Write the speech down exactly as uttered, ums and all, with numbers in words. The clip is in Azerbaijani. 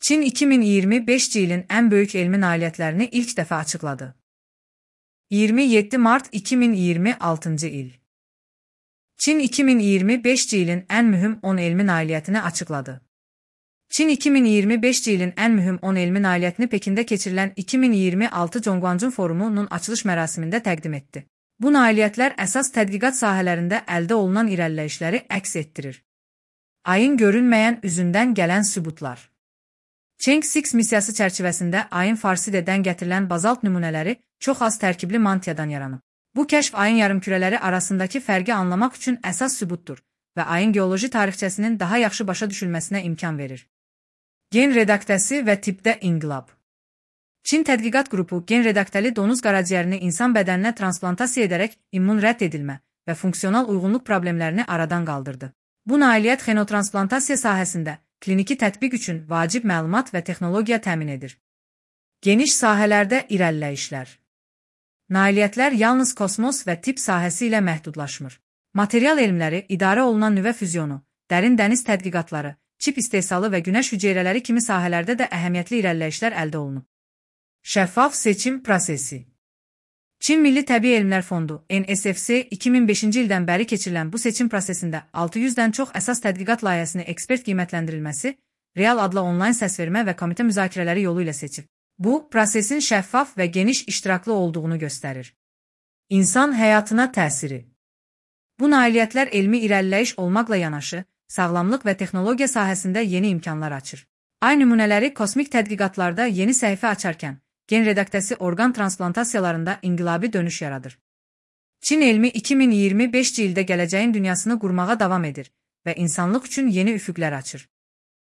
Çin iki min iyirmi beşinci ilin en büyük elmi nailiyyətlərini ilk defa açıkladı. iyirmi yeddi mart iki min iyirmi altıncı il. Çin iki min iyirmi beşinci ilin en mühüm on elmi nailiyyətini açıkladı. Çin iki min iyirmi beşinci ilin en mühüm on elmi nailiyyətini Pekində keçirilən iki min iyirmi altı Zhongguancun forumunun açılış mərasimində təqdim etdi. Bu nailiyyətlər əsas tədqiqat sahələrində əldə olunan irəliləyişləri əks etdirir. Ayın görünməyən üzündən gələn sübutlar. Chang'e altı missiyası çərçivəsində ayın Farsidedən gətirilən bazalt nümunələri çox az tərkibli mantiyadan yaranıb. Bu kəşf ayın yarımkürələri arasındakı fərqi anlamaq üçün əsas sübutdur və ayın geoloji tarixçəsinin daha yaxşı başa düşülməsinə imkan verir. Gen redaktəsi və tipdə inqilab. Çin tədqiqat qrupu gen redaktəli donuz qaraciyərini insan bədəninə transplantasiya edərək immun rədd edilmə və funksional uyğunluq problemlərini aradan qaldırdı. Bu nailiyyət xenotransplantasiya sahəsində kliniki tətbiq üçün vacib məlumat və texnologiya təmin edir. Geniş sahələrdə irəliləyişlər. Nailiyyətlər yalnız kosmos və tibb sahəsi ilə məhdudlaşmır. Material elmləri, idarə olunan nüvə füzyonu, dərin dəniz tədqiqatları, çip istehsalı və günəş hüceyrələri kimi sahələrdə də əhəmiyyətli irəliləyişlər əldə olunub. Şəffaf seçim prosesi. Çin Milli Təbii Elmlər Fondu N S F C iki min beşinci ildən bəri keçirilən bu seçim prosesində altı yüzdən çox əsas tədqiqat layihəsini ekspert qiymətləndirilməsi, real adla onlayn səsvermə və komitə müzakirələri yolu ilə seçib. Bu, prosesin şəffaf və geniş iştiraklı olduğunu göstərir. İnsan həyatına təsiri. Bu nailiyyətlər elmi irəliləyiş olmaqla yanaşı, sağlamlıq və texnologiya sahəsində yeni imkanlar açır. Ay nümunələri kosmik tədqiqatlarda yeni səhifə açarkən, gen redaktəsi orqan transplantasiyalarında inqilabi dönüş yaradır. Çin elmi iki min iyirmi beşinci ildə gələcəyin dünyasını qurmağa davam edir və insanlıq üçün yeni üfüqlər açır.